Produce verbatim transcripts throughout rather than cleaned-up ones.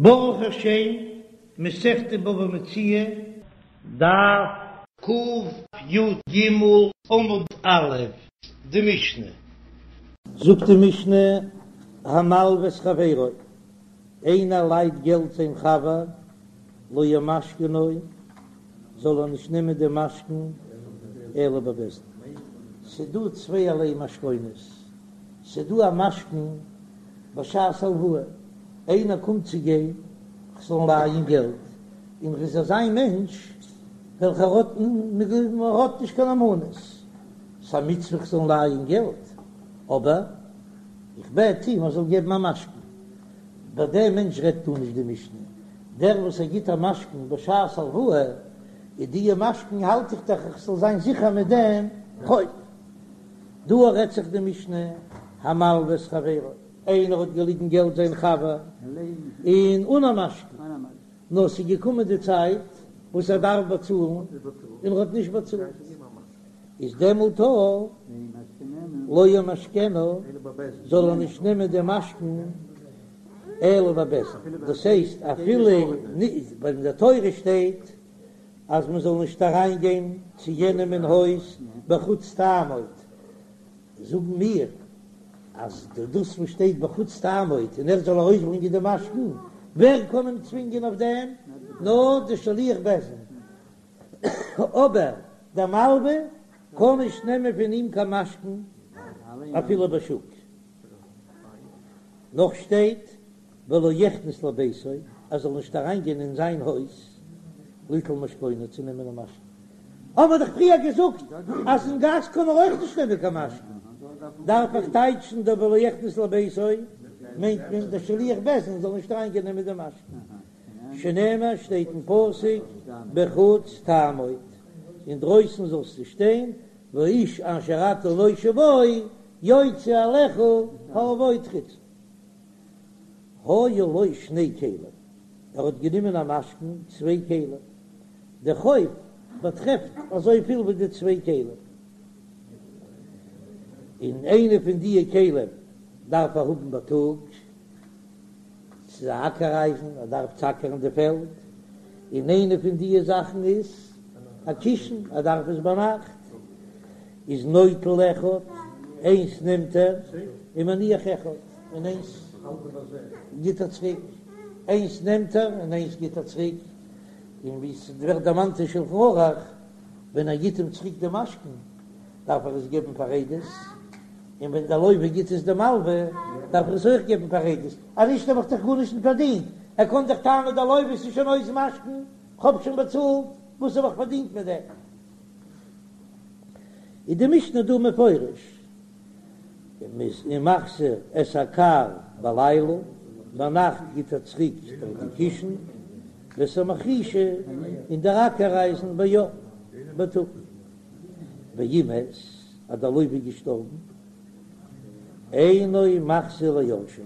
ברוך השם, מסכת בבא מציעא, דף קי"ג עמוד א', די משנה. זאגט די משנה, המלוה את חברו, איינער לייט געלט זיין חבר, לא ימשכנו, זאל ער נישט נעמען די משכון אלא בבית דין. ס'דא צווייערליי משכונות, ס'דא א משכון בשעת הלוואה, איינער קומט צו גיין כ'זאל אים לייען געלט, און ר'איז אזא מענטש וועלכער האט האט נישט קיין נאמנות, ס'א מצוה כ'זאל אים לייען געלט, אבער איך בעט אים ער זאל געבן א משכון. ביי דעם מענטש רעדט דא נישט די משנה, דער וואס ער גיט א משכון בשעת הלוואה, איז דיע משכון האלט איך דאך איך זאל זיין זיכער מיט דעם חוב. דא רעדט זיך די משנה, המלוה את חברו, איינער האט געליגן געלט זיין חבר, און אן א משכון, נאר ס'איז געקומען די צייט וואס ער דארף באצאלן, און ער האט נישט באצאלט, איז דעמאלט לא ימשכנו, זאל ער נישט נעמען די משכון אלא בבית דין, דאס הייסט אפילו ווייל אין די תורה שטייט אז מען זאל נישט אריין גיין צו יענעם אין הויז בחוץ תעמוד, זאגן מיר אז דאס וואס שטייט בחוץ תעמוד און ער זאל ארויסברענגען די משכון, ווער קען אים צווינגען אויף דעם? נאר די שליח בית דין, אבער דער מלווה קען נישט נעמען פון אים קיין משכון אפילו בשוק. נאך שטייט ולא יכנס לביתו, ער זאל נישט אריינגיין אין זיין הויז ליטול משכונו צו נעמען א משכון. האבן מיר דאך פריער געזאגט אז אין גאס קען ער אויך נישט נעמען קיין משכון. דארף איך טייטשן דא ולא יכנס לביתו מיינט מען דער שליח בית דין זאל נישט אריינגיין נעמען די משכון. שנאמר שטייט אין פסוק בחוץ תעמוד, אינדרויסן זאלסטו שטיין, והאיש אשר אתה נושה בו יוצא אליך העבוד חוצה. היו לו שני כלים, ער האט גענומען א משכון צוויי כלים, די חוב באטרעפט אזויפיל ווי די צוויי כלים, און איינע פון דיע כלים דארף ער האבן בייטאג, ס'איז א אקער אייזן, ער דארף צו אקערן די פעלד, און איינע פון דיע זאכן איז א קישן, ער דארף עס ביינאכט, איז נוטל אחד, איינס נעמט ער, ומניח אחד, און איינס גיט ער צוריק, איינס נעמט ער און איינס גיט ער צוריק, און ווי ס'ווערט דערמאנט אין שלחן ערוך, ווען ער גיט אים צוריק די משכון, דארף ער עס געבן פאר עדות, און ווען דער לוה גיט עס דעם מלווה, דארף ער עס אויך געבן פאר עדות, אז נישט האב איך דאך גארנישט נישט פארדינט, ער קען דאך טענה'ן דער לוה ס'איז שוין אויס משכון, כ'האב שוין באצאלט, וואס האב איך פארדינט מיט דעם? איז די משנה דא מפרש, ומחזיר את הכר בלילה, ביינאכט גיט ער צוריק די קישן, ואת המחרישה, און דער אקער אייזן ביום, בייטאג. ואם מת, אז דער לוה איז געשטארבן, אינו מחזיר ליורשיו,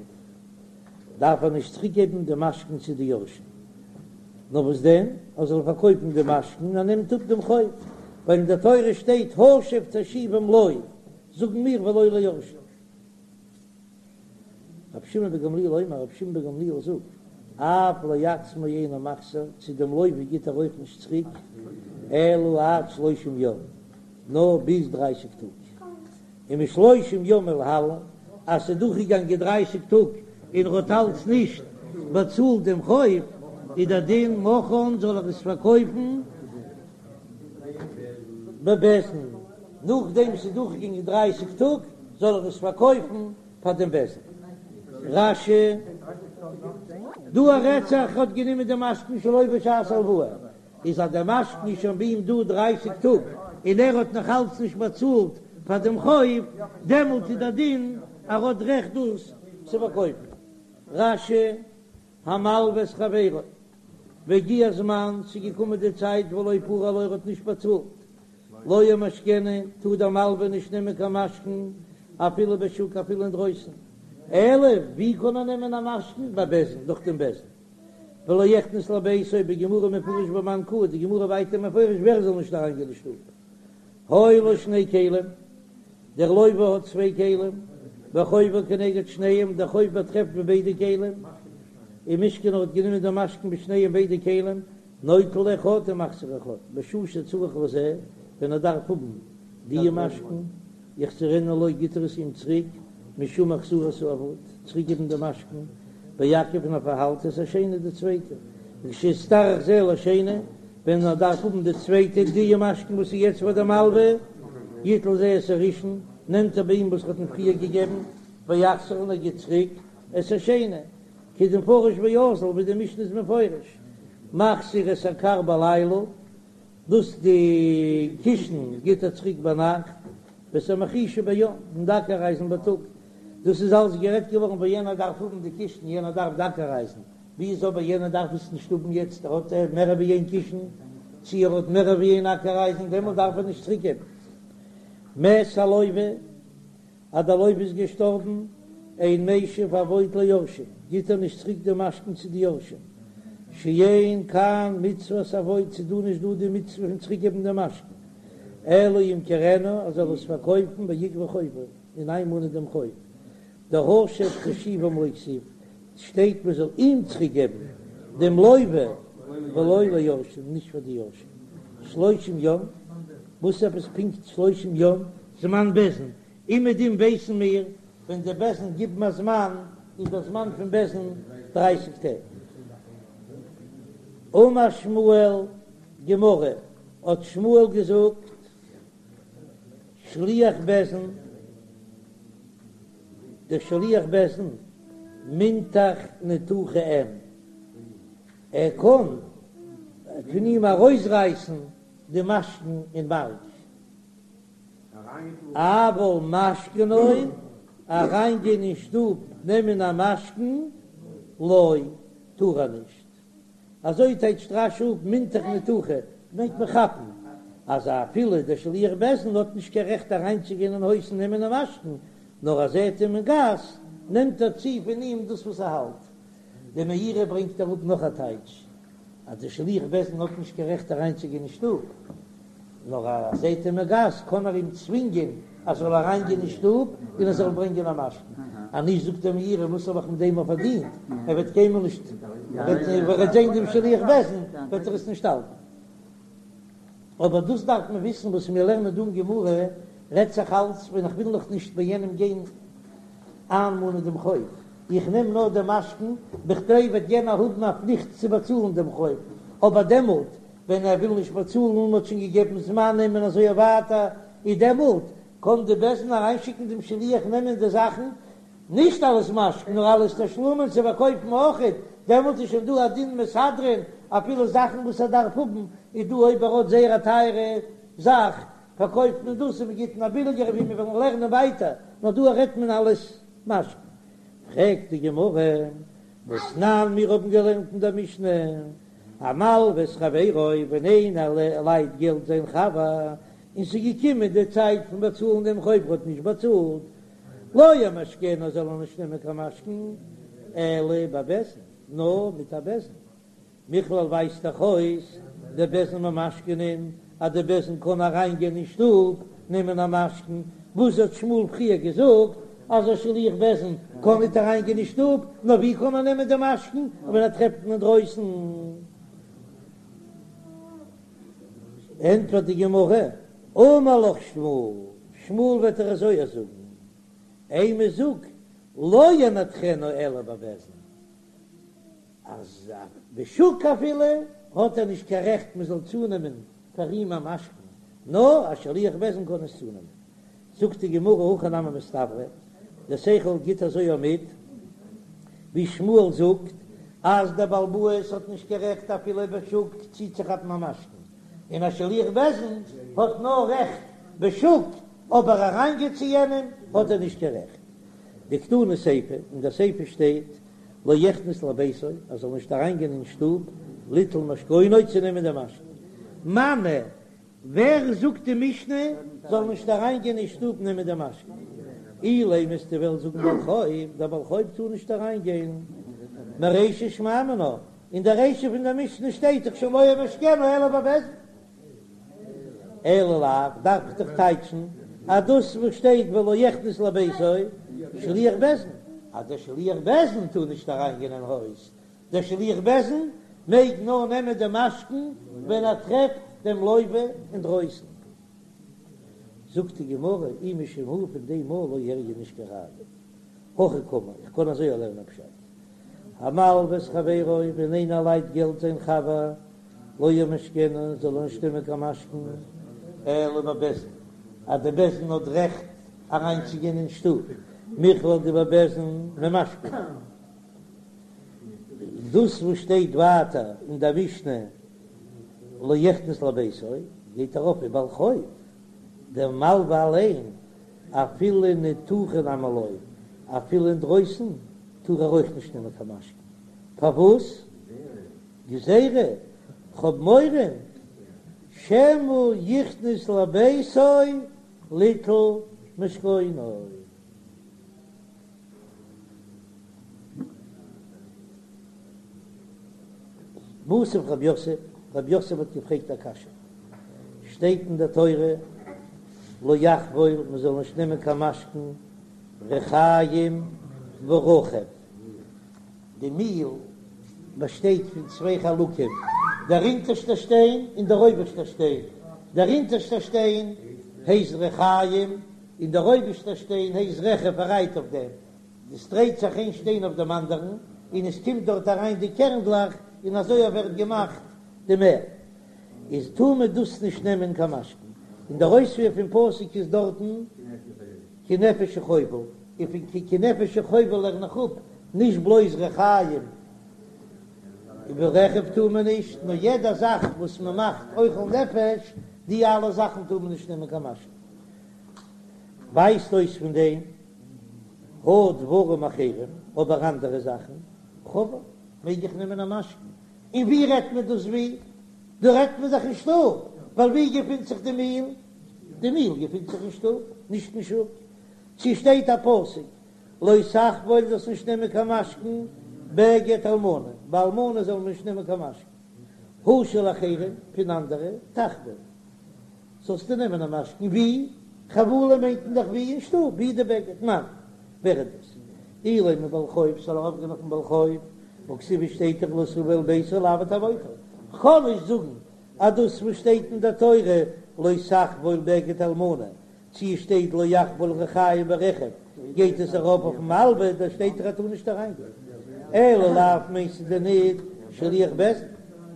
דארף ער נישט צוריקגעבן די משכון צו די יורשים, נאר וואס דען, ער זאל פארקויפן די משכון און ער נעמט אפ דעם חוב, ווייל אין דער תורה שטייט השב תשיבם לו, זאגן מיר ולא ליורשיו. רבי שמעון בן גמליאל אומר, רבי שמעון בן גמליאל זאגט, אף לעצמו אינו מחזיר, צו דעם לוה גיט ער אויך נישט צוריק, אלא עד שלושים יום, נאר ביז דרייסיג טאג, ומשלושים יום ולהלן, אז ס'איז דורכגעגאנגען דרייסיג טאג און ער האט אלץ נישט באצאלט דעם חוב, איז דער דין מכרן זאל ער עס פארקויפן בבית דין, נאכדעם ס'איז דורכגעגאנגען דרייסיג טאג זאל ער עס פארקויפן פאר דעם בית דין. רש"י, דא רעדט זיך האט גענומען די משכון שלא בשעת הלוואה, איז אז דער משכון איז שוין ביי אים דא דרייסיג טאג און ער האט נאך אלץ נישט באצאלט פאר דעם חוב, דעמאלט איז דער דין ער האט רעכט דאס צו פארקויפן. רש"י, המלוה את חברו, והגיע הזמן, ס'איז געקומען די צייט ולא פרע לו ער האט נישט באצאלט, לא ימשכנו, טאר דער מלווה נישט נעמען קיין משכון אפילו בשוק אפילו אינדרויסן, אלא ווי קען ער נעמען א משכון? בבית דין, דורך דעם בית דין. ולא יכנס לביתו, בגמרא מפרש במאן קאי, די גמרא ווייטער מפרש ווער זאל נישט אריינגיין אין שטוב. היו לו שני כלים, דער לוה האט צוויי כלים, וחובו כנגד שניהם, דער חוב באטרעפט ביי ביידע כלים, ומשכנו האט גענומען דעם משכון בשניהם ביידע כלים, נוטל אחד ומחזיר אחד, בשעה שצריך לזה, ווען ער דארף האבן די משכון, יחזירנו לו גיט ער עס אים צוריק, משום החזרת האבוד, צוריק געבן די משכון, ויעכב און ער פארהאלט את השני די צווייטע, וכשיצטרך זה לשני, ווען ער דארף האבן די צווייטע די משכון וואס איז יעצט פאר די מלווה, יטול זה את הראשון, נעמט ער ביי אים וואס ער האט אים פריער געגעבן, ויחזיר און ער גיט צוריק את השני, כדמפרש ואזיל ווי די משנה איז מפרש, מחזיר את הכר בלילה, דאס די קישן גיט ער צוריק ביינאכט, ואת המחרישה ביום, און די אקער אייזן בייטאג, דאס איז אלס גערעדט געווארן ווען יענער דארף האבן די קישן, יענער דארף די אקער אייזן, ווי איז אבער יענער דארף עס נישט האבן יעצט, ער האט מער ווי איין קישן, צי ער האט מער ווי איין אקער אייזן, דעמאלט דארף ער נישט צוריק געבן. מת הלוה, אז דער לוה איז געשטארבן, אין משיב אבוד ליורשים, גיט ער נישט צוריק די משכון צו די יורשים, שאין כאן מצוות אבוד, ס'איז דא נישט דא די מצוה פון צוריק געבן די משכון, אלא ימכרנו, ער זאל עס פארקויפן ויגבה חובו, און איינמאנען דעם חוב, דהשב תשיבם לא כתיב, שטייט מען זאל אים צוריק געבן דעם לוה ולא ליורשים, נישט פאר די יורשים, שלושים יום, וואס עפעס פונקט שלושים יום? זמן בית דין, אומעדום ווייסן מיר ווען די בית דין גיבן א זמן איז דער זמן פון בית דין דרייסיג טעג. אמר שמואל, גמרא, האט שמואל געזאגט, שליח בית דין, דער שליח בית דין, מינתח ניתוחי אין, ער קען פון אים ארויסרייסן די משכון אין מארק. אבל משכנו, אריינגיין אין שטוב נעמען א משכון, לא, טאר ער נישט. אזוי טייטשט רש"י אפ מינתח ניתוחי, מיינט מען כאפן, אז אפילו דער שליח בית דין האט נישט קיין רעכט אריינצוגיין אין הויז און נעמען א משכון, נאר אז ער זעט אים אין גאס, נעמט ער צו פון אים דאס וואס ער האלט. דער מאירי ברענגט אראפ נאך א טייטש, אז דער שליח בית דין האט נישט קיין רעכט אריינצוגיין אין שטוב, נאר אז ער זעט אים אין גאס קען ער אים צווינגען אז ער זאל אריינגיין אין שטוב און ער זאל ברענגען א משכון, אז נישט זאגט דער מאירי וואס האב איך מיט דעם פארדינט, ער וועט קיינמאל נישט, ווען ער וועט זען דעם שליח בית דין וועט ער עס נישט האלטן. אבער דאס דארף מען וויסן וואס מיר לערנען דא אין גמרא רעדט זיך אלץ ווען איך וויל נאך נישט ביי יענעם גיין איינמאנען דעם חוב, איך נעם נאר דעם משכון בכדי וועט יענער האבן א פליכט צו באצאלן דעם חוב, אבער דעמאלט ווען ער וויל נישט באצאלן און מען האט שוין געגעבן זמנים און אזוי ווייטער, איז דעמאלט קען די בית דין אריינשיקן דעם שליח נעמען די זאכן, נישט אלס משכון נאר אלס תשלומין צו פארקויפן אויכעט, דעמאלט איז שוין דא א דין מסדרין אפילו זאכן וואס ער דארף האבן, איז דא אויב ער האט זייער א טייערע זאך פארקויפט מען דאס און מען גיט אים א ביליגערע ווי מיר וועלן לערנען ווייטער, נאר דא רעדט מען אלס משכון. פרעגט די גמרא, והתנן מיר האבן געלערנט אין דער משנה, המלווה את חברו, ווען איינער לייט געלט זיין חבר, און ס'איז געקומען די צייט פון באצאלן דעם חוב, ער האט נישט באצאלט, לא ימשכנו זאל ער נישט נעמען קיין משכון, אלא בבית דין, נאר מיט א בית דין. מכלל ווייזט דאך אויס דבית דין ממשכנין אז די בית דין קען אריין גיין אין שטוב נעמען א משכון, וואס האט שמואל פריער געזאגט אז א שליח בית דין קען ניט אריין גיין אין שטוב, נאר ווי קען ער נעמען די משכון ווען ער טרעפט אים אינדרויסן? ענטפערט די גמרא, אמר לך שמואל, שמואל וועט דיר אזוי זאגן, אימא זאג לא ינתחנו אלא בבית דין, אז בשוק אפילו האט ער נישט קיין רעכט מען זאל צונעמען פאר אים א משכון, נאר א שליח בית דין קען עס צונעמען. זאגט די גמרא הכי נמי מסתברא, דער שכל גיט אזוי מיט, ווי שמואל זאגט אז דער בעל הבית האט נישט קיין רעכט אפילו בשוק צוצוכאפן א משכון, און א שליח בית דין האט נאר רעכט בשוק, אבער אריינגיין צו יענעם האט ער נישט קיין רעכט. דקתני סיפא, אין דער סיפא שטייט לא יכנס לביתו, ער זאל נישט אריינגיין אין שטוב, ליטול משכונו, צו נעמען דעם משכון. מני, ווער זאגט די משנה זאל נישט אריינגיין אין שטוב נעמען דעם משכון? אילימא וועסטו וועלן זאגן בעל חוב, דער בעל חוב טאר נישט אריינגיין. מרישא שמע מינה, אין דער רישא פון דער משנה שטייט דאך שוין לא ימשכנו אלא בבית דין. אלא לאו, דארף איך דאך טייטשן אז דאס וואס שטייט ולא יכנס לביתו שליח בית דין, אז דער שליח בית דין טאר נישט אריינגיין אין הויז, דער שליח בית דין מעג נאר נעמען די משכון ווען ער טרעפט דעם לוה אינדרויסן. זאגט די גמרא, אי משום הא פון דעם מאל לא איריא נישט קיין ראיה. הכי קאמר, איך קען אזוי לערנען פשט. המלוה את חברו, ווען איינער לייט געלט זיין חבר, לא ימשכנו, זאל ער נישט נעמען קיין משכון, אלא בבית דין, אז די בית דין האט רעכט אריינצוגיין אין שטוב, מכלל דבבית דין ממשכנין. דאס וואס שטייט ווייטער אין דער משנה לא יכנס לביתו, גייט ארויף ובעל חוב, דער מלווה אליין, אפילו ניתוחי נמי לא, אפילו אינדרויסן טאר ער אויך נישט נעמען קיין משכון. פארוואס? גזירה, כ'האב מורא שמא יכנס לביתו ליטול משכונו. מתיב רב יוסף, רב יוסף האט געפרעגט א קשיא, שטייט אין דער תורה לא יחבול, מען זאל נישט נעמען קיין משכון ריחיים ורכב, די מיל באשטייט פון צוויי חלקים, דער אונטערשטער שטיין און דער אויבערשטער שטיין, דער אונטערשטער שטיין הייסט ריחיים און דער אויבערשטער שטיין הייסט רכב ער רייט אויף דעם, עס דרייט זיך איין שטיין אויף דעם אנדערן און עס קומט דארט אריין די קערנדלעך און אזוי ווערט געמאכט די מעל, איז טאר מען דאס נישט נעמען קיין משכון, און דער אויספיר פון פסוק איז דארטן כי נפש הוא חובל, און פון כי נפש הוא חובל לערן איך אפ נישט בלויז ריחיים ורכב טאר מען נישט, נאר יעדע זאך וואס מען מאכט אוכל נפש, די אלע זאכן טאר מען נישט נעמען קיין משכון. ווייזט אויס פון דעם הא דברים אחרים, אבער אנדערע זאכן, חבל, מעג איך נעמען א משכון. און ווי רעדט מען דאס ווי? דא רעדט מען זיך אין שטוב, ווייל ווי געפינט זיך די מיל? די מיל געפינט זיך אין שטוב, נישט אין שוק. צו שטייט א פסוק לא תחבול זאלסט נישט נעמען קיין משכון בגד אלמנה, ביי אלמנה זאל מען נישט נעמען קיין משכון. הא של אחרים, פון אנדערע, תחבול. זאלסטו נעמען א משכון ווי? חבלה מיינט מען דאך ווי אין שטוב, ווי די בגד, מאן, ווער איז דאס? אילימא בעל חוב, ס'זאל ארויפגיין אויפן בעל חוב, והכתיב שטייט דאך לא תבוא אל ביתו לעבוד עבודתו. כ'קען נישט זאגן אז דאס וואס שטייט אין דער תורה לא תחבול בגד אלמנה, צו עס שטייט לא יחבול ריחיים ורכב, גייט עס ארויף אויפן מלווה, דא שטייט דאך ער טאר נישט אריינגיין. אלא לאו מיינסטו דען ניט שליח בית דין,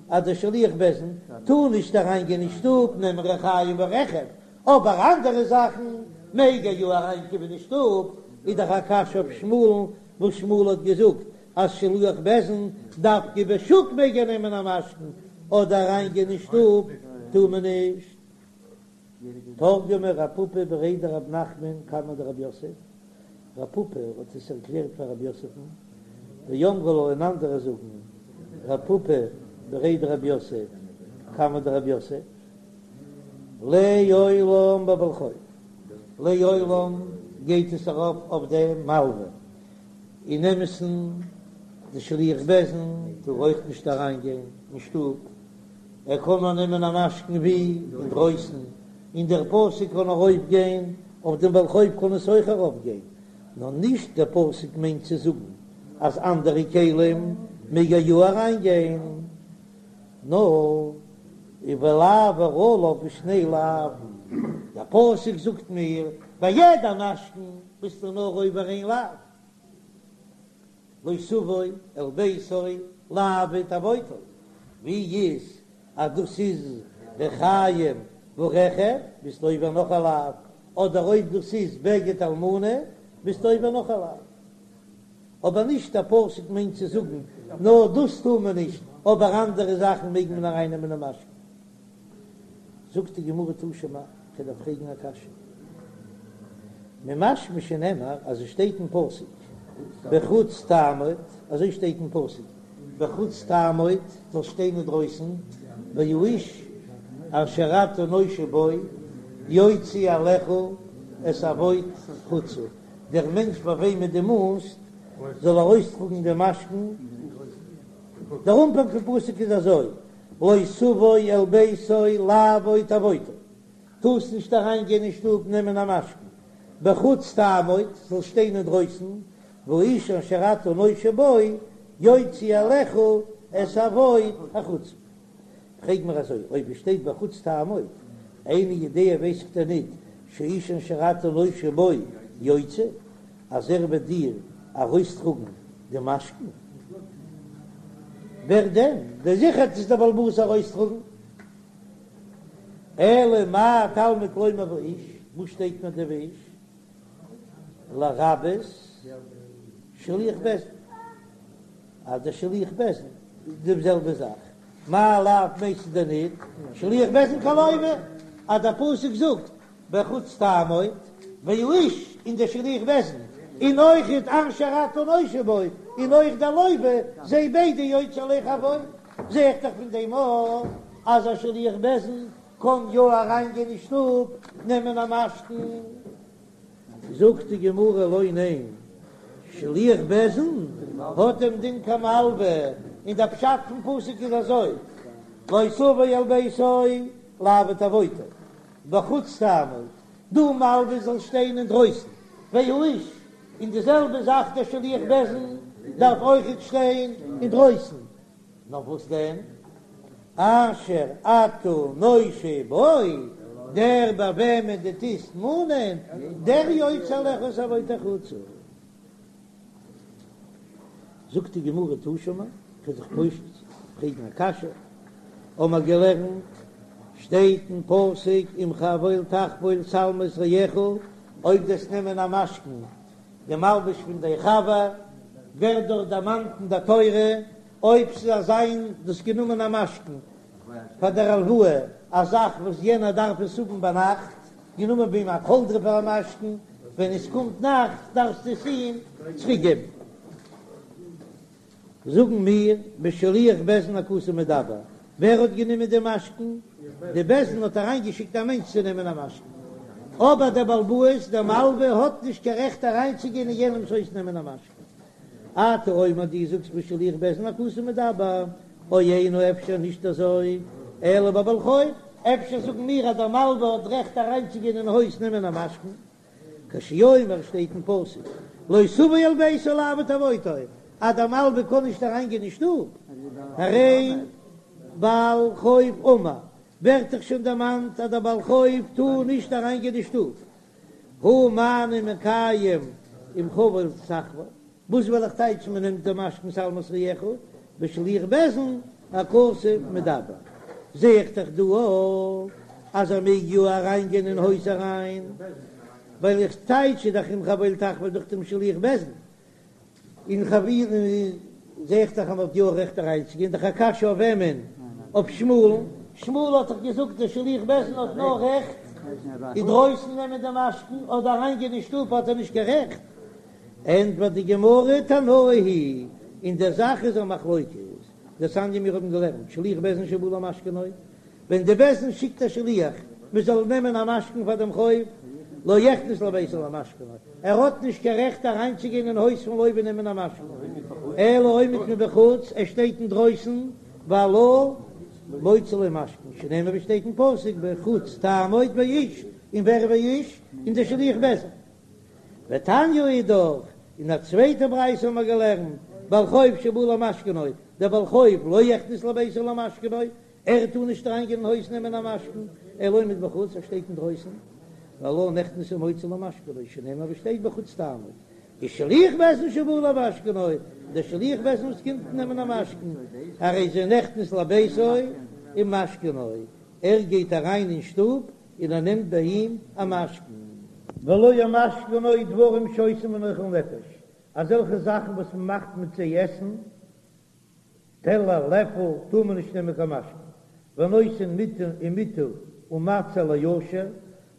אז דער שליח בית דין טאר נישט אריינגיין אין שטוב נעמען ריחיים ורכב, אבער אנדערע זאכן מעג ער יא אריינקומען אין שטוב, איז דאך א קשיא אויף שמואל'ן וואס שמואל האט געזאגט אז שליח בית דין דווקא בשוק מעג ער נעמען א משכון, אדער אריינגיין אין שטוב טאר מען נישט. תרגמה רב פפא בריה דרב נחמן קמיה דרב יוסף, רב פפא האט עס ערקלערט פאר רב יוסף'ן, ואמרי לה און אנדערע זאגן רב פפא בריה דרב יוסף קמיה דרב יוסף, לעולם בבעל חוב, לעולם גייט עס ארויף אויף דעם מלווה, אין אמת'ן די שליח בית דין טאר אויך נישט אריינגיין אין שטוב. ער קען נאר נעמען א משכון ווי אינדרויסן, און דער פסוק קען ארויף גיין, אויף דעם בעל חוב קען עס אויך ארויף גיין, נאר נישט דער פסוק מיינט צו זאגן אז אנדערע כלים מעג ער יא אריין גיין, נאר ולעבור עליו בשני לאווין, דער פסוק זאגט מיר ביי יעדע משכון ביסטו נאר עובר איין לאו. לא תבוא אל ביתו לעבוד עבודתו, ווי איז אז דאס איז ריחיים ורכב ביסטו עובר נאך א לאו, אדער אויב דאס איז בגד אלמנה ביסטו עובר נאך א לאו. אבער נישט א פסוק מיינט צו זאגן נאר דאס טאר מען נישט, אבער אנדערע זאכן מעג מען ארייננעמען אין משכון. זאגט די גמרא תא שמע, כ'וועל דיר פרעגן א קשיא. ממשמע שנאמר אז עס שטייט אין פסוק בחוץ תעמוד, אזוי שטייט אין פסוק בחוץ תעמוד, זאלסט שטיין אינדרויסן, והאיש אשר אתה נושה בו יוציא אליך את עבוט חוצה, דער מענטש ביי וועמען דו מאנסט זאל ארויסטראגן דעם משכון, דער אנפאנג פון פסוק איז אזוי, לא תבוא אל ביתו לעבוד עבודתו, טארסט נישט אריין גיין אין שטוב נעמען א משכון, בחוץ תעמוד, זאלסט שטיין אינדרויסן, והאיש אשר אתה נושה בו יוציא אליך את אבוד החוצה. פרעג מיר אזוי, אויב עס שטייט בחוץ תעמוד, איני יודע ווייס איך דען ניט שהאיש אשר אתה נושה בו יוציא, אז ער וועט דיר ארויסטראגן די משכון? ווער דען? דער זיכער וועט עס דער בעל הבית ארויסטראגן. אלא מה תלמוד לומר והאיש, וואס שטייט מיר דער והאיש? לרבות שליח בית דין, אז דער שליח בית דין איז די זעלבע זאך, מאי לאו מיינסטו דען ניט שליח בית דין כלוה, אז דער פסוק זאגט בחוץ תעמוד והאיש און דער שליח בית דין און אויכעט אשר אתה נושה בו און אויך דער לוה זיי ביידע יוציא אליך אבוד, זע איך דאך פון דעם אויך אז א שליח בית דין קען יא אריינגיין אין שטוב נעמען א משכון. זאגט די גמרא לא ניין, שליח בית דין האט דעם דין כמלווה, און דער פשט פון פסוק איז אזוי, לא תבוא אל ביתו לאבד אבודו, בחוץ תעמוד, דו מלווה זאלסט שטיין אינדרויסן, והאיש, און די זעלבע זאך דער שליח בית דין דארף אויכעט שטיין אינדרויסן, נאר וואס דען? אשר אתה נושה בו, דער ביי וועמען דו טוסט מאנען, דער יוציא אליך את אבוד החוצה. זאגט די גמרא תא שמע, כ'וועל זיך פושט פרעגן א קשיא, האמער געלערנט, שטייט אין פסוק אם חבול תחבול שלמת רעך, אויב דו וועסט נעמען א משכון די מלבוש פון דיין חבר, ווערט דארט דערמאנט אין די תורה, אויב ס'זאל זיין דו האסט גענומען א משכון פאר דער הלוואה, א זאך וואס יענער דארף עס האבן ביינאכט, גענומען ביי אים א קאלדרע פאר א משכון, ווען עס קומט נאכט דארפסטו עס אים צוריק געבן. זאגן מיר, בשליח בית דין הכתוב מדבר, ווער האט גענומען די משכון? די בית דין האט אריינגעשיקט א מענטש צו נעמען א משכון, אבער דער בעל הבית, דער מלווה, האט נישט קיין רעכט אריינצוגיין אין יענעמס הויז נעמען א משכון. אתה אומר דו זאגסט בשליח בית דין הכתוב מדבר, או אינו אפשר נישט אזוי, אלא בבעל חוב, אפשר זאגן מיר אז דער מלווה האט רעכט אריינצוגיין אין הויז נעמען א משכון, כשהוא אומר שטייט אין פסוק לא תבוא אל ביתו לאבד אבודו, אז דער מלווה קען נישט אריינגיין אין שטוב, הרי בעל חוב אמור, ווערט דאך שוין דערמאנט אז דער בעל חוב טאר נישט אריינגיין אין שטוב, הא מה אני מקיים אם חבול תחבול, וואס וועל איך טייטשן מען נעמט די משכון שלמת רעך בשליח בית דין הכתוב מדבר, זע איך דאך דא אויך אז ער מעג יא אריין גיין אין הויז אריין, ווייל איך טייטש דאך אם חבול תחבול דורך דעם שליח בית דין, און חביל זע איך דאך אז מען האט יא רעכט אריינצוגיין, דאך א קשיא אויף וועמען? אויף שמואל'ן? שמואל האט דאך געזאגט דער שליח בית דין האט נאר רעכט אינדרויסן נעמען די משכון, אדער אריינגיין אין שטוב האט ער נישט קיין רעכט. ענטפערט די גמרא תנאי היא אין דער זאך איז א מחלוקת, דתניא מיר האבן געלערנט שליח בית דין שבא למשכנו, ווען די בית דין שיקט א שליח מען זאל נעמען א משכון פאר דעם חוב, לא יכנס לביתו למשכנו, ער האט נישט קיין רעכט אריינצוגיין אין הויז פון לוה נעמען א משכון, אלא עומד מבחוץ, ער שטייט אינדרויסן, והלה מוציא לו משכון, שנאמר ווי שטייט אין פסוק בחוץ תעמוד והאיש, און ווער והאיש? און דער שליח בית דין. ותניא אידך, אין א צווייטע ברייתא האבן מיר געלערנט, בעל חוב שבא למשכנו, דער בעל חוב לא יכנס לביתו למשכנו, ער טאר נישט אריינגיין אין הויז נעמען א משכון, אלא עומד בחוץ, ער שטייט אינדרויסן, והלה נכנס ומוציא לו משכנו, שנאמר ווי שטייט בחוץ תעמוד, ושליח בית דין שבא למשכנו, דער שליח בית דין וואס קומט נעמען א משכון, הרי זה נכנס לביתו ומשכנו, ער גייט אריין אין שטוב און ער נעמט ביי אים א משכון. ולא ימשכנו דברים שעושים בהן אוכל נפש, אזעלכע זאכן וואס מען מאכט מיט זיי עסן, טעלער, לעפל, טאר מען נישט נעמען קיין משכון. ונותן מיטה ומטה ומצע לעשיר,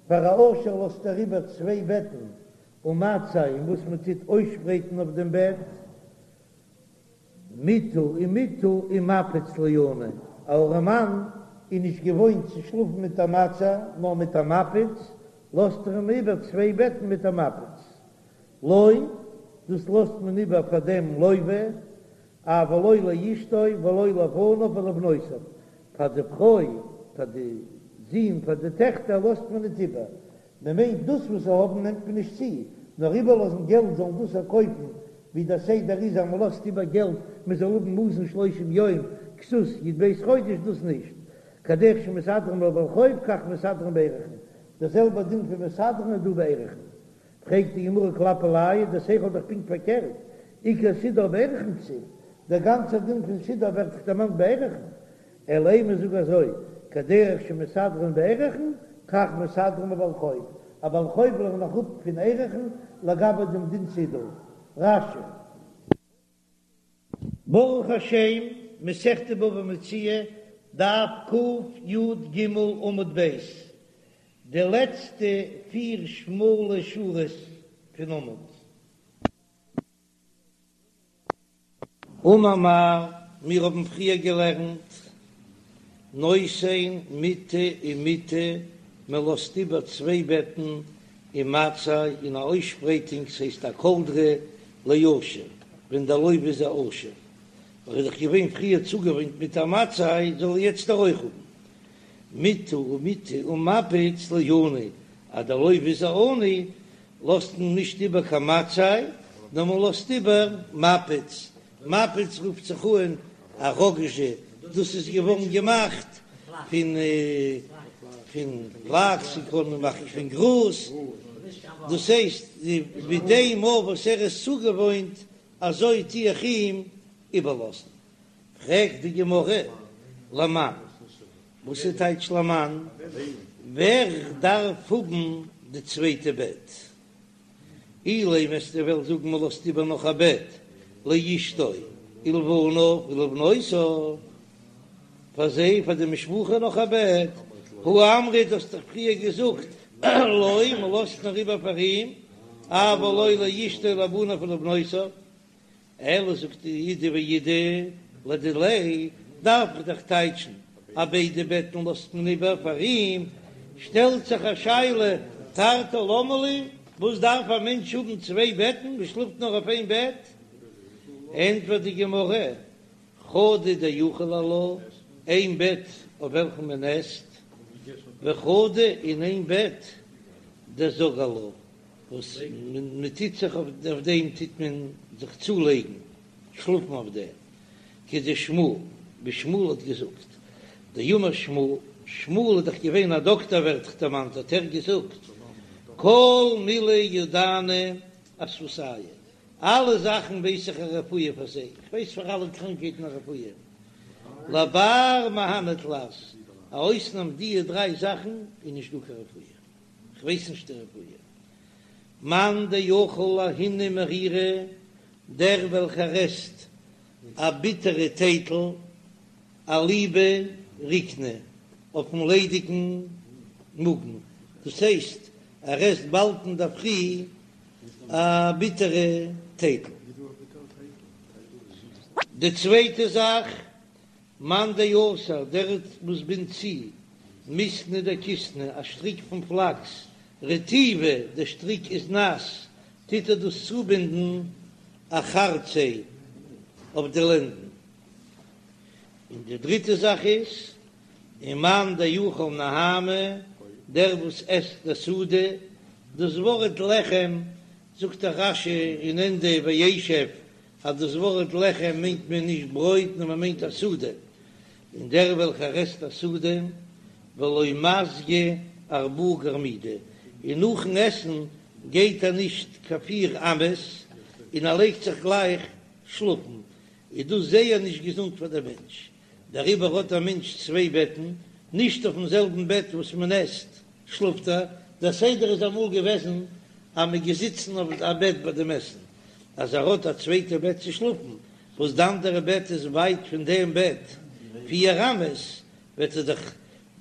פאר א עשיר לאזט ער איבער צוויי בעטן ומצע און וואס מען טוט אויסשפרייטן אויף דעם בעט, מטה ומטה ומפץ לעני, א ארעמאן איז נישט געוואוינט צו שלאפן מיט א מצע, נאר מיט א מפיץ, לאזט ער אים איבער צוויי בעטן מיט א מפיץ. לו, דאס לאזט מען איבער פאר דעם לוה, אבל לא לאשתו ולא לבניו ולבנותיו, פאר די פרוי, פאר די זין, פאר די טעכטער לאזט מען ניט איבער, מען מיינט דאס וואס זיי האבן נעמט מען נישט צו, נאר איבערלאזן געלט זאלן דאס קויפן, ווי דער סדר איז אז מען לאזט איבער געלט מען זאל האבן מזון שלושים יום כסות י"ב חודש דאס נישט, כדרך שמסדרין לבעל חוב כך מסדרין בערכין, דער זעלבער דין פון מסדרין איז דא בערכין. פרעגט די גמרא כלפי לאו, דער שכל איז דאך פונקט פארקערט, עיקר סידור בערכין כתיב, דער גאנצער דין פון סידור ווערט דאך דערמאנט בערכין, אלא אימא זאג אזוי, כדרך שמסדרין בערכין, כך מסדרין לבעל חוב, א בעל חוב לערן איך אפ פון ערכין לגבי דעם דין סידור. רש"י. ברוך השם, מסכת בבא מציעא, דף קי"ג עמוד ב', די לעצטע פיר שמאלע שורות פון עמוד. אמר מר, מיר האבן פריער געלערנט, נותן מיטה ומטה, מען לאזט איבער צוויי בעטן ומצעי און א אויסשפרייטונג, ס'הייסט א קאלדרע לעשיר, ווען דער לוה איז א עשיר, ער איז דאך געווען פריער צוגעוואוינט מיט א מצעי, זאל ער יעצט אויך האבן מיטה ומטה ומפץ לעני, אז דער לוה איז א עני, לאזט מען נישט איבער קיין מצעי, נאר מען לאזט איבער מפץ, מפץ רופט זיך אן א ראגאזשע, דאס איז געווארן געמאכט פון פון פלאקס, און קען מען מאכן פון גראז, דאס הייסט מיט דעם אויף וואס ער איז צוגעוואוינט, אזוי טו איך אים איבערלאזן. פרעגט די גמרא, למאן, וואס איז טייטש למאן? ווער דארף האבן די צווייטע בעט? אילימא וועסטו וועלן זאגן מען לאזט איבער נאך א בעט לאשתו ולבניו ולבנותיו, פאר זיי פאר די משפחה נאך א בעט, הא אמרת האסט דאך פריער געזאגט לו מען לאזט נאר איבער פאר אים, אבל לא לאשתו ולבניו ולבנותיו. אלא זאגט אידי ואידי לדיליה, דארף איך דאך טייטשן אז ביידע בעטן לאזט מען איבער פאר אים, שטעלט זיך א שאלה, תרתי למה לי, וואס דארף א מענטש האבן צוויי בעטן, מען שלאפט נאר אויף איין בעט? ענטפערט די גמרא, חדא דאכיל עלה, איין בעט אויף וועלכן מען עסט, וחדא און איין בעט דזג עלה, וואס מען טוט זיך אויף דעם טוט מען זיך צולייגן שלאפן אויף דעם, כדשמואל, ווי שמואל האט געזאגט, דאמר שמואל, שמואל איז דאך געווען א דאקטער ווערט דאך דערמאנט, האט ער געזאגט, כל מילי ידענא אסוותייהו, אלע זאכן ווייס איך א רפואה פאר זיי, איך ווייס פאר אלע קראנקהייטן א רפואה, לבר מהני תלת, א אויסנאם דיע דריי זאכן איז נישט דא קיין רפואה. כ'ווייס נישט די רפואה. מאן דאכיל ההיני מרירא, דער וועלכער עסט א ביטערע טייטל, אליבא ריקנא, אויפן ליידיגן מאגן, דאס הייסט ער עסט באלד אינדערפרי א ביטערע טייטל. די צווייטע זאך מאן דאסר, דער וואס בינדט צו, מיתנא דכיתנא, א שטריק פון פלאקס, רטיבא, דער שטריק איז נאס, טוט ער דאס צובינדן אחרציה אויף די לענדן. און די דריטע זאך איז, ומאן דאכיל נהמא, דער וואס עסט די סעודה, דאס ווארט לחם זאגט דער רש"י אין ענדע וישב אז דאס ווארט לחם מיינט מען נישט ברויט נאר מען מיינט א סעודה, און דער וועלכער עסט א סעודה ולא מסגי ארבעה גרמידי, און נאכן עסן גייט ער נישט קיין פיר אמות און ער לייגט זיך גלייך שלאפן, איז דאס זייער נישט געזונט פאר דער מענטש, דעריבער האט א מענטש צוויי בעטן, נישט אויפן זעלבן בעט וואס מען עסט שלאפט ער, דער סדר איז אמאל געוועזן אז מען געזיצן אויף א בעט ביי דעם עסן, אז ער האט א צווייטע בעט צו שלאפן, וואס די אנדערע בעט איז ווייט פון דעם בעט פיר אמות, וועט ער דאך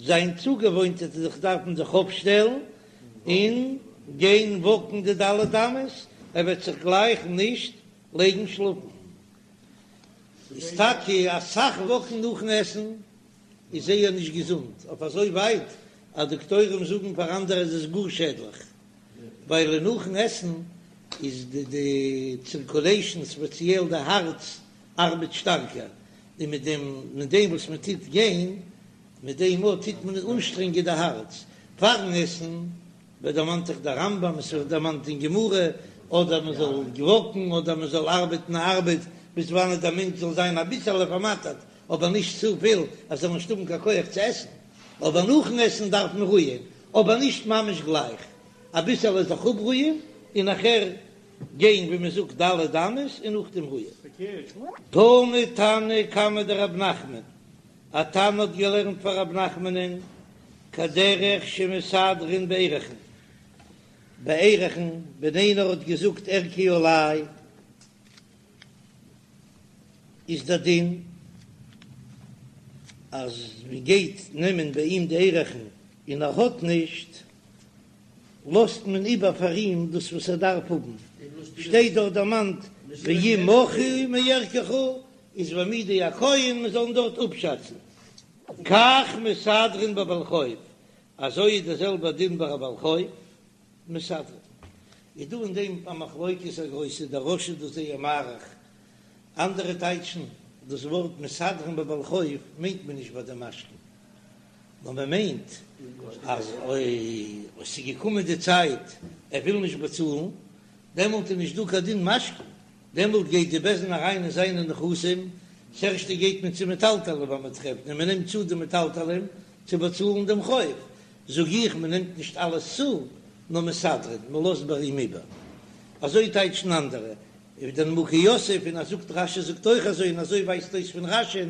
זיין צוגעוואוינט וועט ער זיך דארפן זיך אויפשטעלן און גיין וואקן די ד' אמות, ער וועט זיך גלייך נישט לייגן שלאפן. איז טאקע אסאך וואקן נאכן עסן איז זייער נישט געזונט, אויף אזוי ווייט אז דאקטוירים זאגן פאר אנדערע איז עס גאר שעדליך, ווייל נאכן עסן איז די די צירקולעישאן ספעציעל די הארץ ארבעט שטארקער, און מיט דעם מיט דעם וואס מען טוט גיין מיט דעם אויך טוט מען אנשטרענגען די הארץ פארן עסן, ווערט דערמאנט אויך דער רמב"ם, עס ווערט דערמאנט אין גמרא, אדער מען זאל וואקן אדער מען זאל ארבעטן א ארבעט ביז וואנעט דער מענטש זאל זיין אביסעלע פארמאטערט, אבער נישט צופיל אז ער זאל נישט האבן קיין כח צו עסן, אבער נאכן עסן דארף מען רוען, אבער נישט ממש גלייך, אביסעלע זיך אפרוען און נאכער גיין ווי מען זאגט ד' אמות און נאכדעם רוען. תני תנא קמיה דרב נחמן, א תנא האט געלערנט פאר רב נחמנ'ן כדרך שמסדרין בערכין, בערכין, ווען איינער האט געזאגט ערכי עלי איז דער דין אז מען גייט נעמען ביי אים די ערכין און ער האט נישט, לאזט מען איבער פאר אים דאס וואס ער דארף האבן, שטייט דארט דערמאנט ואם מכרו מערכך איז והעמידו הכהן מען זאל אים דארט אפשאצן. כך מסדרין בבעל חוב, אזוי איז דער זעלבער דין ביי א בעל חוב, מסדרין. איז דא אין דעם א מחלוקת א גרויסע, דער רא"ש איז דאס זייער מאריך, אנדערע טייטשן דאס ווארט מסדרין בבעל חוב מיינט מען נישט ביי די משכון, נאר מען מיינט אז אויב עס איז געקומען די צייט ער וויל נישט באצאלן, דעמאלט איז נישט דא קיין דין משכון, דעמאלט גייט די בית דין אריין אין זיינע נכסים, ס'ערשטע גייט מען צו מטלטלים ווען מען טרעפט און מען נעמט צו די מטלטלים צו באצאלן דעם חוב, זאג איך מען נעמט נישט אלעס צו, נאר מסדרין, מען לאזט ביי אים איבער. אזוי טייטשן אנדערע, אויף דער נימוקי יוסף, און אז זאגט רש"י זאגט אויך אזוי און אזוי ווייזט אויס פון רש"י'ן,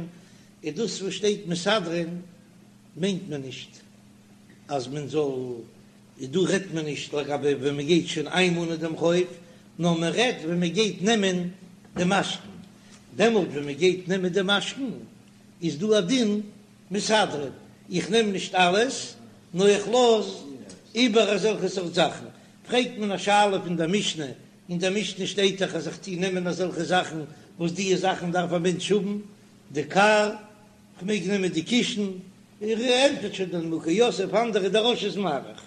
איז דאס וואס שטייט מסדרין מיינט מען נישט אז מען זאל, איז דא רעדט מען נישט לגבי ווען מען גייט שוין איינמאנען דעם חוב, נאר מען רעדט ווען מען גייט נעמען די משכון, דעמאלט ווען מען גייט נעמען די משכון איז דא א דין מסדרין, איך נעם נישט אלעס נאר איך לאז איבער אזעלכע סארט זאכן, פרעגט מען א שאלה פון דער משנה, אין דער משנה שטייט דאך אז איך טו נעמען אזעלכע זאכן וואס דיע זאכן דארף א מענטש האבן, די כר, כ'מעג נעמען די קישן, ער ענטפערט שוין דער נימוקי יוסף, אנדערע דער רא"ש איז מאריך.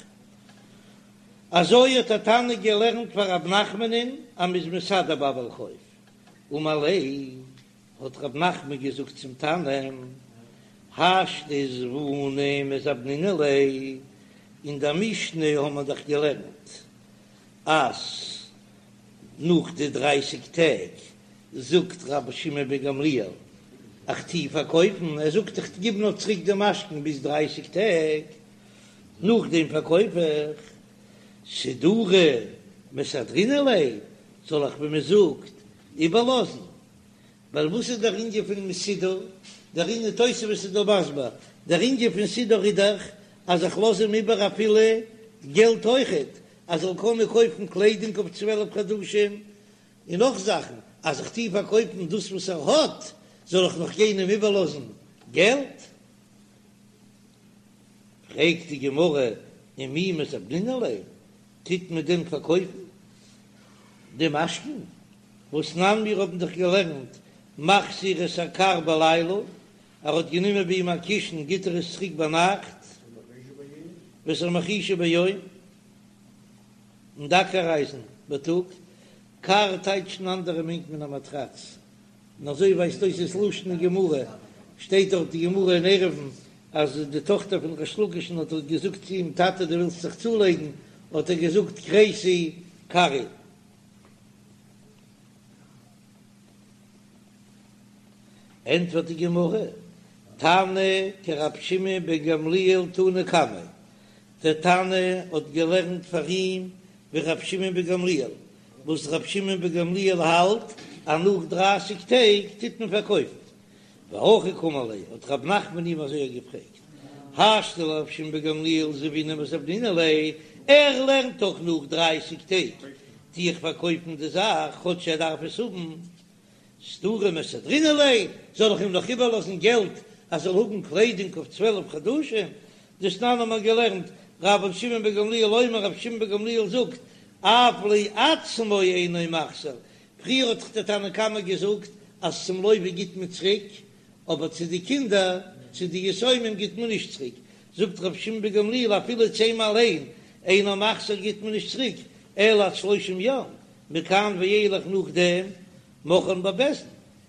אזוי האט א תנא געלערנט פאר רב נחמנ'ן אז מ'איז מסדר ביי בעל חוב. אמר ליה, האט רב נחמן געזאגט צום תנא, השתא זבוני מזבנינן ליה, אין דער משנה האבן מיר דאך געלערנט אז נאך די דרייסיג טעג זאגט רבי שמעון בן גמליאל איך טו פארקויפן, ער זאגט איך גיב נאר צוריק די משכון ביז דרייסיג טעג, נאכדעם פארקויף איך, סידורי מסדרינן ליה, זאל איך ווי מען זאגט איבערלאזן, ווייל וואס איז דער ענין פון סידור, דער ענין תוספות איז דא מסביר, דער ענין פון סידור איז דאך אז איך לאז אים איבער אפילו געלט אויכעט, אז ער זאל קענען קויפן קליידונג אויף צוועלף חדשים, און נאך זאכן, אז איך טוה פארקויפן דאס וואס ער האט, זאל איך נאך גיין אים איבערלאזן געלט? פרעגט די גמרא, ומי מזבנינן ליה, טוט מען דען פארקויפן די משכון? והתנן מיר האבן דאך געלערנט מחזיר את הכר בלילה, ער האט גענומען ביי אים א קישן גיט ער עס צוריק ביינאכט, ואת המחרישה ביום, און די אקער-אייזן בייטאג, כר טייטשן אנדערע מיינט מען א מאטראץ, און אזוי ווייזט אויס דאס לשון אין גמרא, שטייט דארט די גמרא אין עירובין אז די טאכטער פון ריש לקיש'ן האט געזאגט צו אים טאטע דו ווילסט זיך צולייגן, האט ער געזאגט כרסי כרי. ענטפערט די גמרא, תנא כרבי שמעון בן גמליאל תנא קמיה, דער תנא האט געלערנט פאר אים ווי רבי שמעון בן גמליאל, וואס רבי שמעון בן גמליאל האלט אז נאך דרייסיג טעג טוט מען פארקויפן. והכי קאמר ליה, האט רב נחמן אים אזוי געפרעגט, השתא לרבי שמעון בן גמליאל זבוני מזבנינן ליה, ער לערנט דאך נאך דרייסיג טעג טו איך פארקויפן די זאך כאטש ער דארף עס האבן, סידורי מסדרינן ליה, זאל איך אים נאך איבערלאזן געלט אז ער זאל האבן קליידונג אויף צוועלף חדשים? דתנן האט מען געלערנט, רבן שמעון בן גמליאל אומר, רבי שמעון בן גמליאל זאגט, אף לעצמו אינו מחזיר, פריער האט דאך דער תנא קמא געזאגט אז צום לוה גיט מען צוריק, אבער צו די קינדער, צו די יתומים גיט מען נישט צוריק, זאגט רבי שמעון בן גמליאל אפילו צו אים אליין אינו מחזיר גיט מען נישט צוריק, אלא עד שלושים יום, מכאן ואילך נאכדעם מוכרן בבית דין,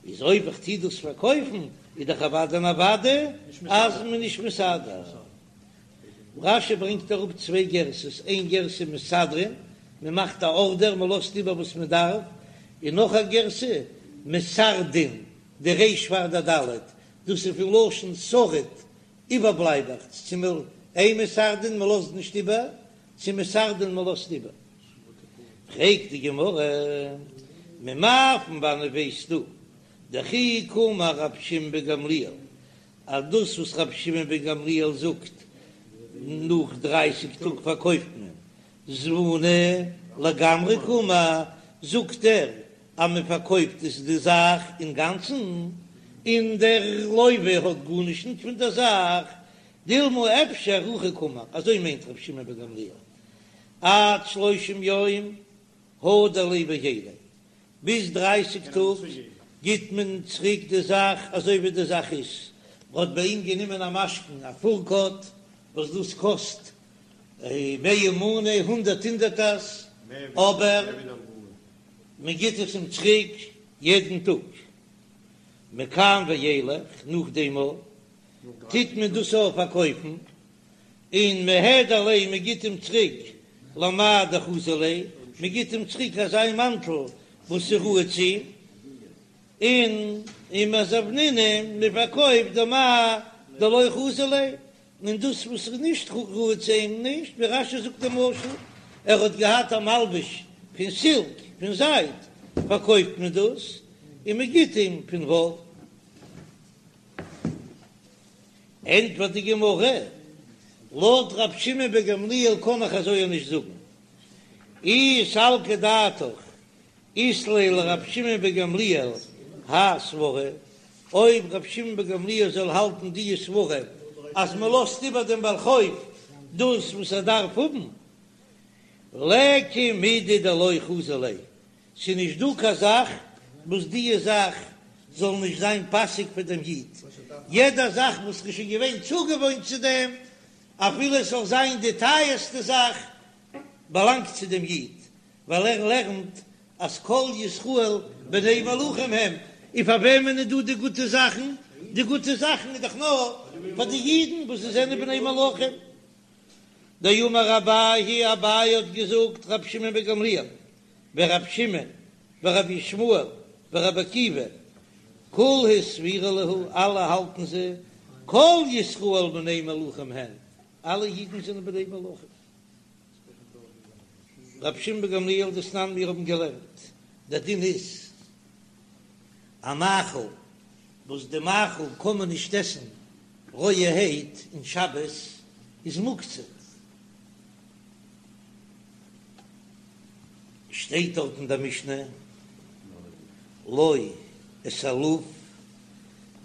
איז אויב איך טוה דאס פארקויפן איז דאך אוודאי און אוודאי אז מען נישט מסדר. רש"י ברענגט אראפ צוויי גרסאות, איין גרסה מסדרין, מען מאכט א ארדער, מען לאזט איבער וואס מען דארף, און נאך א גרסה מסרדין, די ריש פאר די ד', דאס איז פון לשון שריד, איבערבלייבעכץ, צו מ אין מסרדין מען לאזט נישט איבער, צו מסרדין מען לאזט איבער. פרעגט די גמרא, ממאי פון וואנעט ווייסטו דכי קאמר רב שמעון בן גמליאל אז דאס וואס רבי שמעון בן גמליאל זאגט נאך דרייסיג טאג פארקויפט מען זבוני לגמרי קאמר, זאגט ער אז מען פארקויפט עס די זאך אינגאנצן און דער לוה האט גארנישט נישט פון דער זאך, דילמא אפשר הכי קאמר, אזוי מיינט רבי שמעון בן גמליאל עד שלושים יום הדר ליה בעיליה, ביז דרייסיג טאג גיט מען צוריק די זאך אזוי ווי די זאך איז, מען האט ביי אים גענומען א משכון א פורקאט וואס דאס קאסט מאה מנה הונדערט הונדערטערס, אבער מען גיט עס אים צוריק יעדן טאג, מכאן ואילך נאכדעם טוט מען דאס אויך פארקויפן. און מהדר ליה מען גיט אים צוריק למאי דחזי ליה, מען גיט אים צוריק אזא מאנטל וואס איז ראוי צו אים, און ומזבנינהו מען פארקויפט דמאי דלא חזי ליה, און דאס וואס איז נישט ראוי צו אים נישט, ווי רש"י זאגט די משל, ער האט געהאט א מלבוש פון סילק, פון זייד, פארקויפט מען דאס און מען גיט אים פון וואל. ענטפערט די גמרא, לויט רב שמעון בן גמליאל קען איך אזוי נישט זאגן, אי סלקא דעתך אית ליה לרב שמעון בן גמליאל האי סברא, אויב רב שמעון בן גמליאל זאל האלטן די סברא אז מען לאזט איבער דעם בעל חוב דאס וואס ער דארף האבן, ליכא מידי דלא חזי ליה, ס'איז נישט דא קיין זאך וואס דיע זאך זאל נישט זיין פאסיג פאר דעם איד, יעדע זאך וואס איז שוין געווען צוגעוואוינט צו דעם, אפילו עס זאל זיין די טייערסטע זאך, באלאנגט צו דעם איד, ווייל ער לערנט אז כל ישראל בני מלכים הם, און פאר וועמען איז דא די גוטע זאכן? די גוטע זאכן איז דאך נאר פאר די אידן וואס זיי זענען בני מלכים. דאמר אביי, אביי האט געזאגט, רבי שמעון בן גמליאל ורבי שמעון ורבי ישמעאל ורבי עקיבא כולהו סבירא להו, אלע האלטן זיי, כל ישראל בני מלכים הן, אלע אידן זענען בני מלכים. רבי שמעון בן גמליאל דתנן מיר האבן געלערנט, דער דין איז א מאכל וואס די מאכל קען מען נישט עסן רויערהייט אין שבת איז מוקצה. שטייט דארט אין דער משנה לא את הלוב,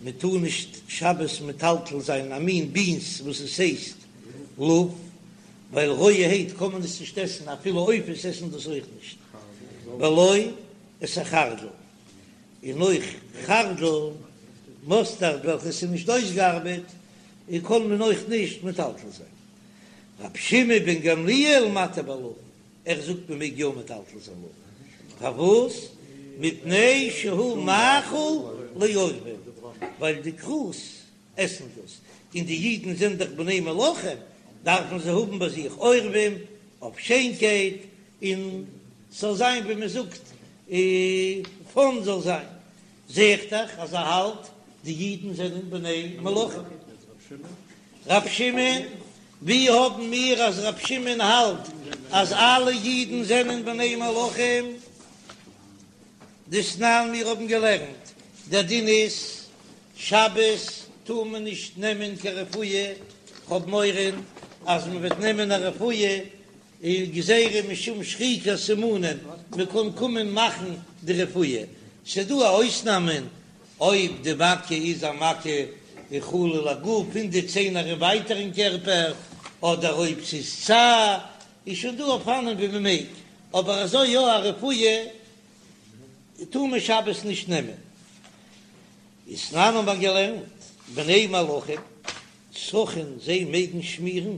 מען טאר נישט שבת מטלטל זיין א מין בינס וואס עס הייסט לוב, ווייל רויערהייט קען מען עס נישט עסן, אפילו עופות עסן דאס אויך נישט, ולא את החרדל. און אויך חרדל, מאסטארד וועלכעס איז נישט אויסגעארבעט, און קען מען אויך נישט מטלטל זיין. רבי שמעון בן גמליאל מתיר בלוב, ער זאגט מען מעג יא מטלטל זיין לוב, פארוואס? מפני שהוא מאכל לעורבים, ווייל די כרוז עסן דאס, און די אידן זענען דאך בני מלכים, דארפן זיי האבן ביי זיך עורבים אויף שיינקייט, און ס'זאל זיין ווי מען זאגט פאן זאל זיין, זע איך דאך אז ער האלט די אידן זענען בני מלכים. רב שמעון, ווי האבן מיר אז רב שמעון האלט אז אלע אידן זענען בני מלכים? דתנן מיר האבן געלערנט, דער דין איז שבת טאר מען נישט נעמען קיין רפואה, כ'האב מורא אז מען וועט נעמען א רפואה איז גזירה משום שחיקת סימנים, מען קען קומען מאכן די רפואה, ס'איז דא א אויסנאמען אויב די מכה איז א מכה החלה לגוף פון די ציינער און ווייטער אין קערפער, אדער אויב ס'איז צער, איז שוין דא אופנים ווי מען מעג, אבער אזוי יא א רפואה טאר מען שבת נישט נעמען. ותנן האבן מיר געלערנט, בני מלכים סכין זיי מעגן שמירן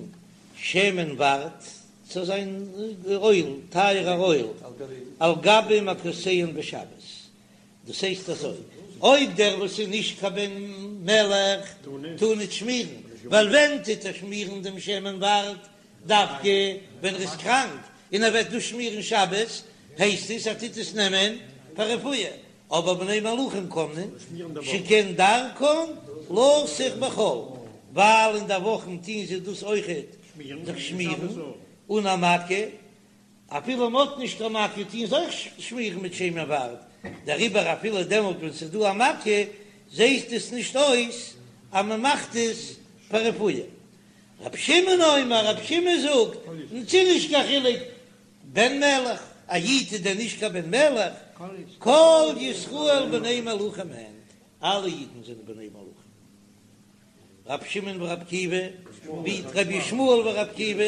שמן ורד ס'זאל זיין אויל, טייערער אויל, על גבי מכותיהן בשבת, דאס הייסט אזוי, אויב דער וואס איז נישט קיין בן מלך טאר נישט שמירן, ווייל ווען טוט ער שמירן דעם שמן ורד? דווקא ווען ער איז קראנק און ער וועט דאס שמירן שבת, הייסט עס ער טוט עס נעמען פאר רפואה, אבער בני מלכים קען מען, שכן דרכן לסוך בחול, ווייל אין די וואכן טוהן זיי דאס אויכעט זיך שמירן אן א מכה, אפילו מען האט נישט קיין מכה טוהן זיי אויך שמירן מיט שמן ורד, דעריבער אפילו דעמאלט ווען ס'איז דא א מכה זעהט עס נישט אויס אז מען מאכט עס פאר רפואה. רבי שמעון אומר, רבי שמעון זאגט, ס'איז נישט קיין חילוק בן מלך, א איד איז דען נישט קיין בן מלך? כל ישראל בני מלכים הן, אלע אידן זענען בני מלכים. רבי שמעון ורבי עקיבא, ווי רבי ישמעאל ורבי עקיבא,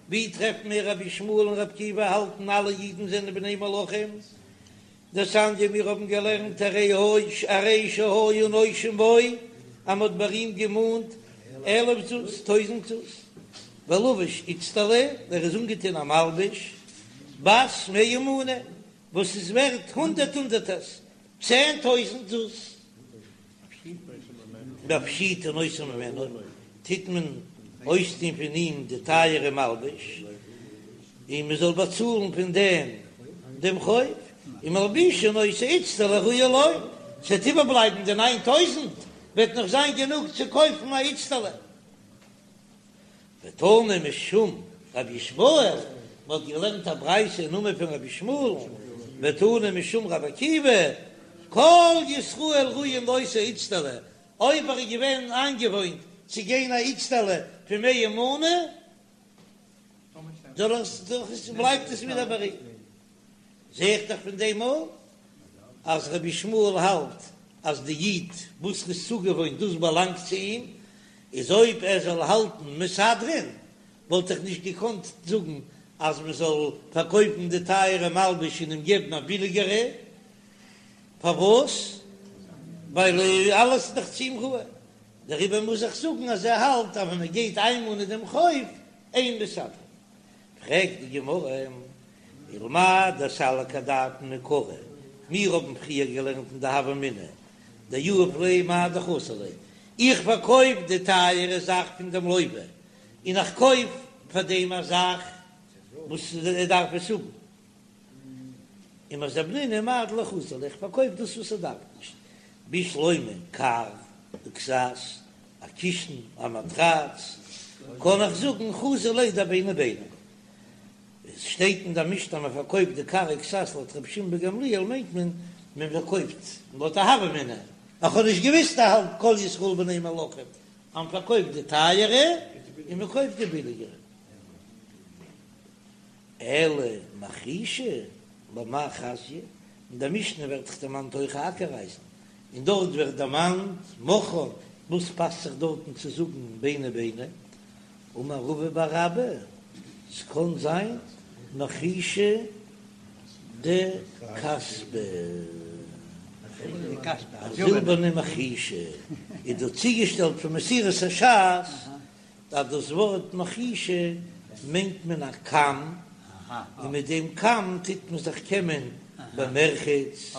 ווי טרעפן מיר רבי ישמעאל און רבי עקיבא האלטן אלע אידן זענען בני מלכים? דתניא מיר האבן געלערנט הרי הרי שהיו נושים בו אז מ'האט ביי אים געמאנט אלף זוז, טויזנט זוז, ולבש איצטלא, ער איז אנגעטון א מלבוש בת מאה מנה וואס איז ווערט הונדערט הונדערטערס, צען טויזנט זוז. מפשיטין אותו ממנו, טוט מען אויסטון פון אים די טייערע מלבוש, און מען זאל באצאלן פון דעם דעם חוב, ומלבישין אותו איצטלא הראויה לו, ס'וועט איבערבלייבן די ניין טויזנט, וועט נאך זיין גענוג צו קויפן א איצטלא. ותנא משום רבי ישמעאל, מען האט געלערנט א ברייתא אין נאמען פון רבי ישמעאל, ותנא משום רבי עקיבא, כל ישראל ראויים לאותה איצטלא, אויב ער איז געווען איינגעוואוינט צו גיין א איצטלא פון מאה מנה, בלייבט עס ווידער ביי אים. זע איך דאך פון דעם אויך אז רבי ישמעאל האלט אז די איד וואס איז צוגעוואוינט דאס באלאנגט צו אים, איז אויב ער זאל האלטן מסדרין וואלט איך נישט געקאנט זאגן אז מען זאל פארקויפן די טייערע מלבוש און אים געבן א ביליגערע, פארוואס? ווייל אלעס איז דאך צו אים ראוי, דעריבער מוז איך זאגן אז ער האלט אז ווען מען גייט איינמאנען דעם חוב אין מסדרין. פרעגט די גמרא, ולמאי דסלקא דעתין מעיקרא, מיר האבן פריער געלערנט אין די הוה אמינא דיהיב ליה מאי דחסר ליה, איך פארקויף די טייערע זאך פון דעם לוה, און איך קויף פאר דעם א זאך וואס ער דארף עס האבן, ומזבנינהו מאי דלא חסר ליה, איך פארקויף דאס וואס ער דארף נישט, בשלמא כר וכסת, א קישן, א מאטראץ, קען איך זאגן חזי ליה דביני ביני. עס שטייט אין דער משנה אז מען פארקויפט די כר וכסת לויט רבי שמעון בן גמליאל מיינט מען מען פארקויפט לויט א הוה אמינא, איך האב נישט געוויסט ער האלט כל ישראל בני מלכים אז מען פארקויפט די טייערע און מען קויפט די ביליגערע. אלא מחרישה למאי חזיא, אין דער משנה ווערט דאך דערמאנט אויך א אקער-אייזן, און דארט ווערט דערמאנט מכרן, וואס פאסט זיך דארטן צו זאגן ביני ביני? אמר רבא בר אבא, ס'קען זיין מחרישה דכספא, א זילבערנע מחרישה, איז דא צוגעשטעלט פון מסורת הש"ס אז דאס ווארט מחרישה מיינט מען א קאם, און מיט דעם קאם טוט מען זיך קעמען במרחץ.